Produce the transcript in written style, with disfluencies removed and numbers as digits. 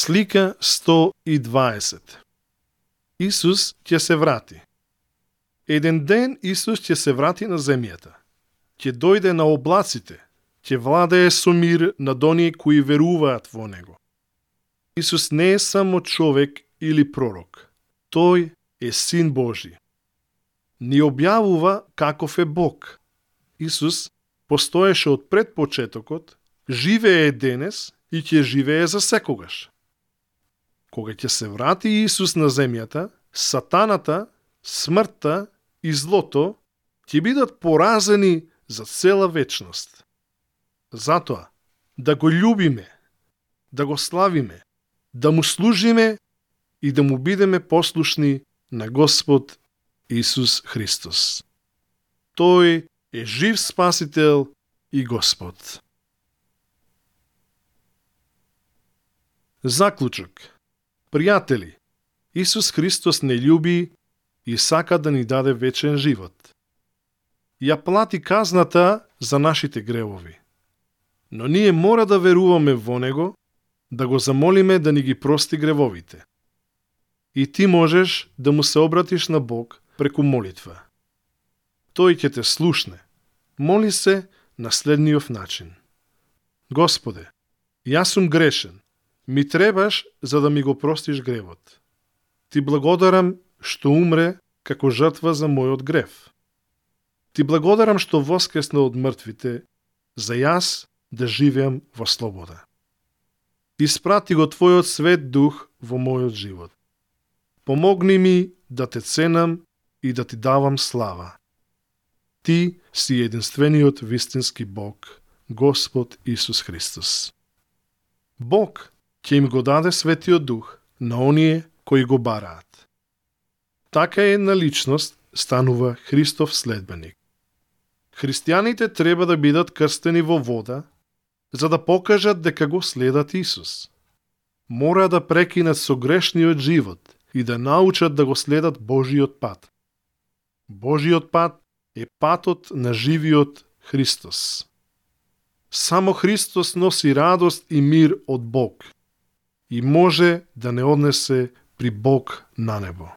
Слика 120. Исус ќе се врати. Еден ден Исус ќе се врати на земјата. Ќе дојде на облаците, ќе владее со мир над оние кои веруваат во Него. Исус не е само човек или пророк. Тој е Син Божи. Ни објавува каков е Бог. Исус постоеше од пред почетокот, живее денес и ќе живее за секогаш. Кога ќе се врати Исус на земјата, сатаната, смртта и злото ќе бидат поразени за цела вечност. Затоа, да го љубиме, да го славиме, да му служиме и да му бидеме послушни на Господ Исус Христос. Тој е жив Спасител и Господ. Заклучок. Пријатели, Исус Христос не љуби и сака да ни даде вечен живот. Ја плати казната за нашите гревови. Но ние мора да веруваме во Него, да го замолиме да ни ги прости гревовите. И ти можеш да му се обратиш на Бог преку молитва. Тој ќе те слушне. Моли се на следниот начин. Господе, јас сум грешен. Ми требаш за да ми го простиш гревот. Ти благодарам што умре како жртва за мојот грев. Ти благодарам што воскресна од мртвите, за јас да живеам во слобода. Испрати го Твојот свет дух во мојот живот. Помогни ми да те ценам и да ти давам слава. Ти си единствениот вистински Бог, Господ Исус Христос. Бог ќе им го даде Светиот Дух на оние кои го бараат. Така една личност станува Христов следбеник. Христијаните треба да бидат крстени во вода, за да покажат дека го следат Исус. Мора да прекинат со грешниот живот и да научат да го следат Божиот пат. Божиот пат е патот на живиот Христос. Само Христос носи радост и мир од Бог и може да не однесе при Бог на небо.